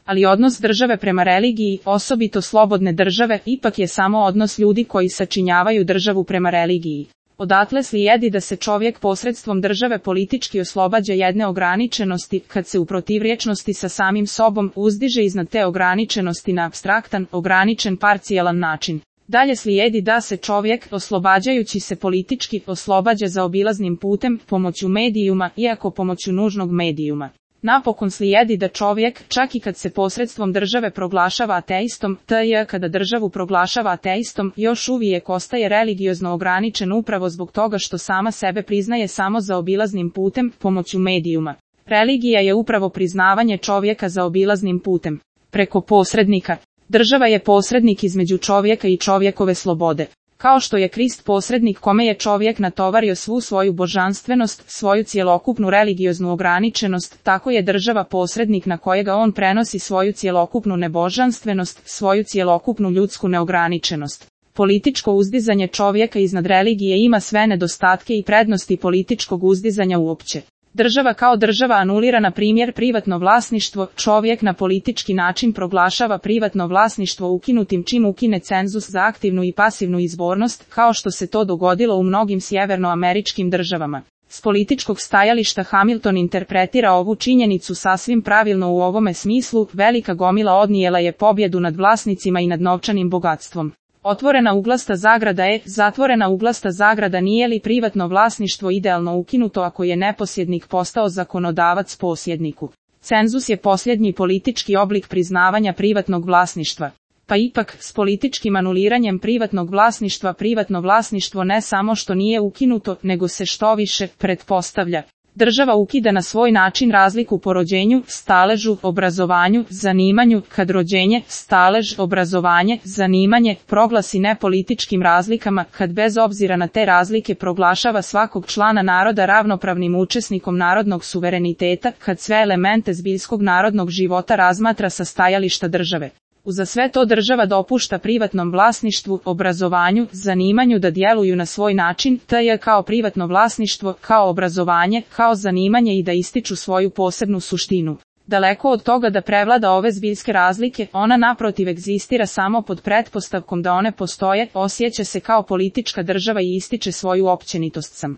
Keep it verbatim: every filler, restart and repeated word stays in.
Ali odnos države prema religiji, osobito slobodne države, ipak je samo odnos ljudi koji sačinjavaju državu prema religiji. Odatle slijedi da se čovjek posredstvom države politički oslobađa jedne ograničenosti, kad se u protivrječnosti sa samim sobom uzdiže iznad te ograničenosti na apstraktan, ograničen parcijalan način. Dalje slijedi da se čovjek, oslobađajući se politički, oslobađa zaobilaznim putem, pomoću medijuma, iako pomoću nužnog medijuma. Napokon slijedi da čovjek, čak i kad se posredstvom države proglašava ateistom, tj. kada državu proglašava ateistom, još uvijek ostaje religiozno ograničen upravo zbog toga što sama sebe priznaje samo zaobilaznim putem, pomoću medijuma. Religija je upravo priznavanje čovjeka zaobilaznim putem, preko posrednika. Država je posrednik između čovjeka i čovjekove slobode. Kao što je Krist posrednik kome je čovjek natovario svu svoju božanstvenost, svoju cjelokupnu religioznu ograničenost, tako je država posrednik na kojega on prenosi svoju cjelokupnu nebožanstvenost, svoju cjelokupnu ljudsku neograničenost. Političko uzdizanje čovjeka iznad religije ima sve nedostatke i prednosti političkog uzdizanja uopće. Država kao država anulira na primjer privatno vlasništvo, čovjek na politički način proglašava privatno vlasništvo ukinutim čim ukine cenzus za aktivnu i pasivnu izbornost, kao što se to dogodilo u mnogim sjevernoameričkim državama. S političkog stajališta Hamilton interpretira ovu činjenicu sasvim pravilno u ovome smislu, velika gomila odnijela je pobjedu nad vlasnicima i nad novčanim bogatstvom. Otvorena uglasta zagrada je, zatvorena uglasta zagrada nije li privatno vlasništvo idealno ukinuto ako je neposjednik postao zakonodavac posjedniku. Cenzus je posljednji politički oblik priznavanja privatnog vlasništva. Pa ipak, s političkim anuliranjem privatnog vlasništva privatno vlasništvo ne samo što nije ukinuto, nego se što više pretpostavlja. Država ukida na svoj način razliku po rođenju, staležu, obrazovanju, zanimanju, kad rođenje, stalež, obrazovanje, zanimanje proglasi nepolitičkim razlikama, kad bez obzira na te razlike proglašava svakog člana naroda ravnopravnim učesnikom narodnog suvereniteta, kad sve elemente zbiljskog narodnog života razmatra sa stajališta države. Uza sve to država dopušta privatnom vlasništvu, obrazovanju, zanimanju da djeluju na svoj način, tj. kao privatno vlasništvo, kao obrazovanje, kao zanimanje i da ističu svoju posebnu suštinu. Daleko od toga da prevlada ove zbiljske razlike, ona naprotiv egzistira samo pod pretpostavkom da one postoje, osjeća se kao politička država i ističe svoju općenitost sam.